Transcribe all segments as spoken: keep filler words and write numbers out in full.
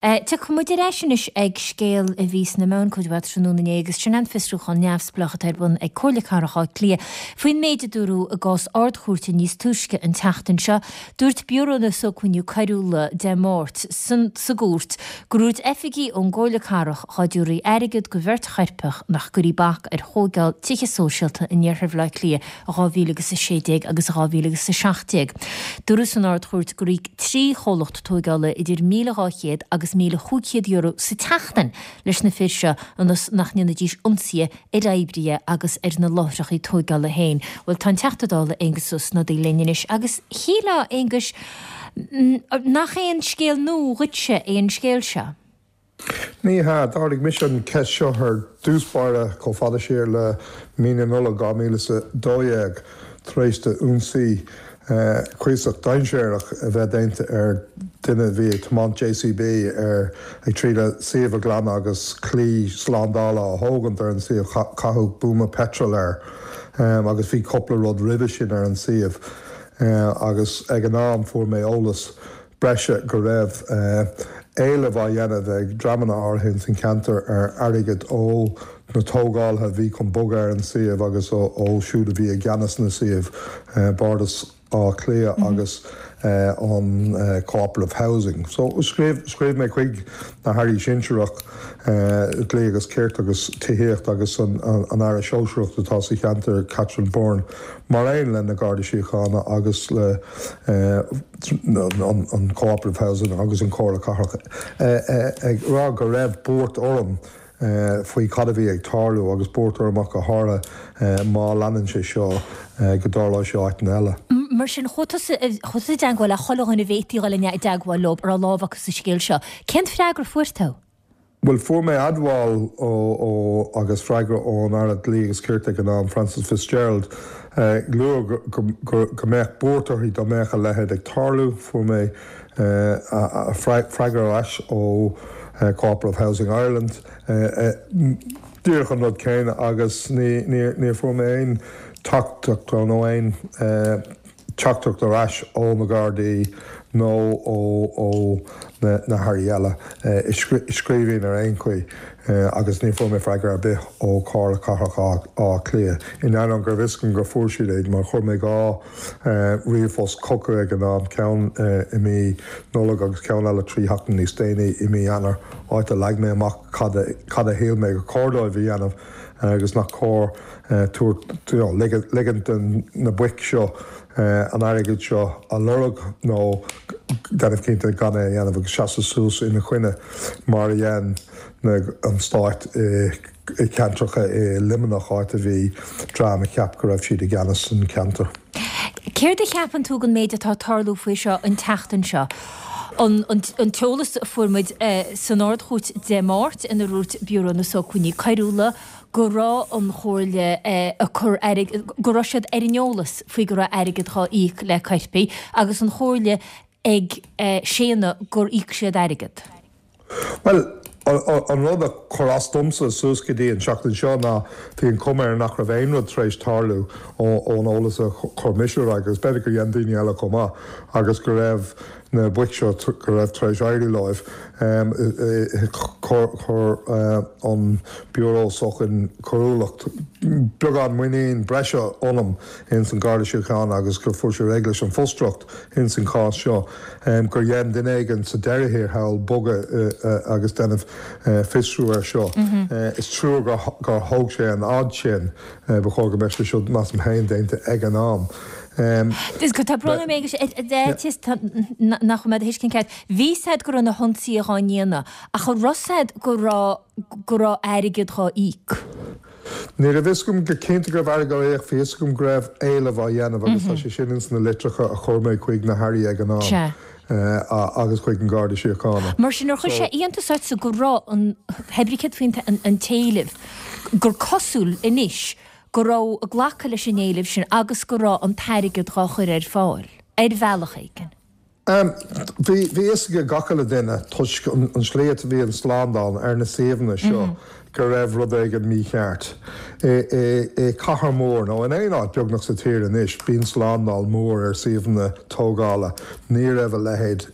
Tiocfaidh muid ar ais anois ag scéal a bhí sna meáin cuid mhaith tráthnóna inné agus sin an fiosrúchán neamhspleách atá ar bun ag Comhairle Cathrach Átha Cliath faoin méid a dúradh i gcás Ard-Chúirte níos túisce an tseachtain seo. Dúirt Biúró na Sócmhainní Coiriúla Dé Máirt sa gcúirt gur dhúirt oifigigh ón gComhairle Cathrach dhá dtabharfaí airgead go bheirt choirpeach nach gcuirfí bac ar thógáil tithe sóisialta in iarthar Bhaile Átha Cliath i dhá mhíle agus a sé déag agus i dhá mhíle agus a seacht déag. Dúradh san Ard-Chúirt gur íoc trí chomhlacht tógála idir míle dhá chéad agus míle chúig chéad euro sa tseachtain leis na fir seo ionas nach ndéanfaidís ionsaithe ar oibrithe agus ar na láithreacha tógála féin. Bhuel, tá an Teachta Dála Aengus Ó Snodaigh linn anois agus shílfeá, Aonghuis, nach aon scéal nua dhuitse é an scéal seo? Ní hea, d'ardaigh mise an cheist seo ar dtús báire chomh fada siar le mí na Nollag dhá mhíle is a dó dhéag tar éis d'ionsaí cuíosach dainséarach a bheith déanta ar duine a bhí ag tiomáint J C B ar ag triail suíomh a ghlanadh agus claí slándála a thógaint ar an suíomh. Caitheadh buama peitril air agus bhí cúpla rud roimhe sin ar an suíomh agus ag an am fuair mé eolas breise go raibh éileamh á dhéanamh ag dreamanna áirithe san cheantar ar airgead ó na tógálaithe a bhí chun bogadh ar an suíomh agus ó siúd a bhí i gceannas na suíomh, Bardas Átha Cliath agus an Cooperative Housing. So scríobh scríobh mé chuig na hairí sinsearach, Dlí agus Cirt agus Tithíocht agus an an Aire Sóisearach atá sa cheantar, Catherine Byrne, mar aon le na Gardaí Síochána agus le an an Cooperative Housing agus an Comhairle Cathrach, ag rá go raibh buairt orm faoi cad a bhí ag tarlú agus buairt orm ach go háirithe má leanann sé seo go dtarlóidh sé áiteanna eile. Mar sin, chuaigh tusa i dteagmháil le chuile dhuine a bhféadfaí dhul i dteagmháil leo a raibh lámh acu sa scéal seo. Cén freagra a fuair tú? Bhuel, fuair mé admháil ó ó agus freagra ón Aire Dlí agus Cirt ag an am, Frances Fitzgerald, ag lua go go go mbeadh buairt uirthi dá mbeadh a leithéid ag tarlú. Fuair mé freagra ar ais ó Cooperative Housing Ireland, díreach an rud céanna, agus ní ní fuair mé aon teachtaireacht nó aon teachtaireacht ar ais ó na Gardaí nó ó ó na na hairí eile i scríbhinn ar aon chaoi, agus ní fuair mé freagra ar bith ó Chomhairle Cathrach Átha Cliath. In ainneoin go raibh fhios agam gur fuair siad é mar chuir mé dhá ríomhphost chucu ag an am, ceann i mí Nollag agus ceann eile trí sheachtain níos déanaí i mí Eanáir, áit a leag mé amach cad a cad a shíl mé gur chóir dóibh a dhéanamh agus nach cóir tabhairt ligint den na boic seo an airgead seo a lorg nó déanamh cinnte gan é a dhéanamh agus seasamh suas ina choinne mar a dhein an stát i ceantracha i Luimneach, áit a bhí dream a cheap go raibh siad i gceannas san ceantar. Céard a cheapann tú den méid atá tarlú faoi seo an tseachtain seo? An, an, an t-eolas a fuair muid eh, san Ard-Chúirt Dé Máirt ina ndúirt Biúró na Sócmhainní Coiriúla go raibh an chomhairle eh, a cur go raibh siad ar an eolas faoi go raibh airgead á íoc le coirpigh agus an chomhairle ag eh, séanadh gur íoc siad airgead. Well, an rud a chuir as domsa suas go dtí an seachtain seo ná bhí an chuma air nach raibh aon rud tar éis tarlú ón eolas a chuir mise agus b'fhéidir gur dhein daoine eile chomh maith agus go raibh na boic seo go raibh tar éis éirí leo. Chuir an Biúró Sócmhainní Coiriúlacht beagán muinín breise ionam ins an Garda Síochána agus gur fuair sé réidh leis an bhfrustrachas ins an chás seo gur dhein duine éigin sa deireadh thiar thall bogadh agus déanamh fiosrú air seo. Is trua gur thóg sé an fhad sin. Ba chóir go mbeadh sé seo, measaim féin, déanta ag an am. Tá brón orm nach mé thuiscint ceart. Bhí siad go raibh na hionsaithe á ndéanamh ach an raibh siad go raibh go raibh airgead á íoc. Ní raibh fhios agam go cinnte go raibh airgead á íoc. Bhí fhios agam go raibh éileamh á dhéanamh agus tá sé sin ins na litreacha a chuir mé chuig na hairí ag an am agus chuig an Garda Síochána. Mar sin ar chuir sé iontas ortsa go raibh an hebricet faoin an t-éileamh gur cosúil anois go raibh glacadh leis an éileamh sin agus go raibh an t-airgead á chur ar fáil ar bhealach éigin? Bhí bhí fhios ag gach uile duine toisc an tslí a bhí an slándáil ar na suíomhanna seo go raibh rud éigin mícheart. I cathair mór nó in aon áit beagnach sa tír anois bíonn slándáil mór ar suíomhanna tógála. Ní raibh a leithéid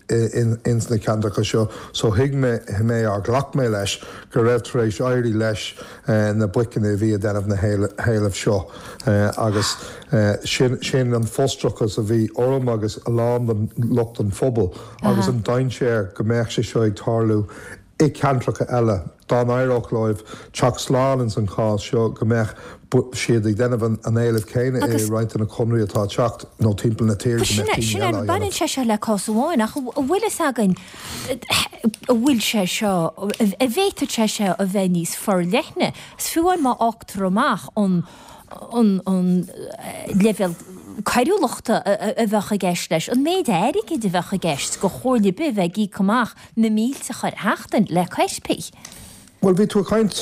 ins na ceantracha seo so thuig mé mé ar ghlac mé leis go raibh tar éis éirí leis na boiceanna a bhí ag déanamh na héilimh seo agus sin sin an frustrachas a bhí orm agus a lán den lucht an phobail agus an dainséar go mbeadh sé seo ag tarlú i gceantracha eile dá n-éireodh leo teacht slán ins an chás seo go mbeadh siad ag déanamh an éilimh céanna i roinnt de na conairí atá ag teacht nó timpeall na tíre go mbeadh daoine Sin eile á é, baineann dhéanamh. sé seo le cás amháin ach an bhfuil fhios againn an bhfuil sé seo, an bhféadfadh sé seo a bheith níos forleithne, is fiú amháin má fhágtar amach an an an leibhéal coiriúlachta a bheadh i gceist leis, an méid airgid a bheadh i gceist do chomhairle ar bith a bheith ag íoc amach na mílte chuile sheachtain le coirpigh. Bhuel bhí tú ag caint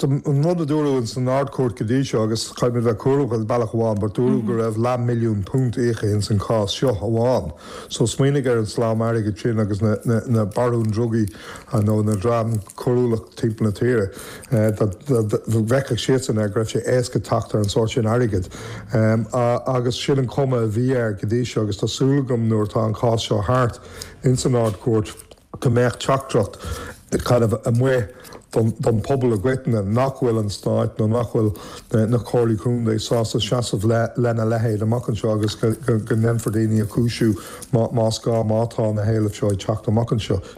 an rud a dúradh ins an Ard-Chúirt go dtí seo agus caithfidh muid bheith cúramach ar bealach amháin, but dúradh go raibh leath milliún punt íoctha ins an cás seo amháin. So smaoinigh ar an slám airgid sin agus na, na, na barúin drugaí nó na dream coiriúlach timpeall na tíre. Bhfeicfeadh siadsan air go raibh sé éasca teacht ar an sórt sin airgid. Um, agus sin an cuma a bhí air go dtí seo agus tá súil agam nuair atá an cás seo thart ins an Ard-Chúirt go mbeadh teachtaireacht kind of amuigh don, don pobal i gcoitinne nach bhfuil an stát nó nach bhfuil na, na comhairlí contae sásta seasamh le, lena leithéid amach anseo agus go, go, go ndéanfar daoine a chúisiú má, más gá má tá na héilimh seo ag teacht amach anseo.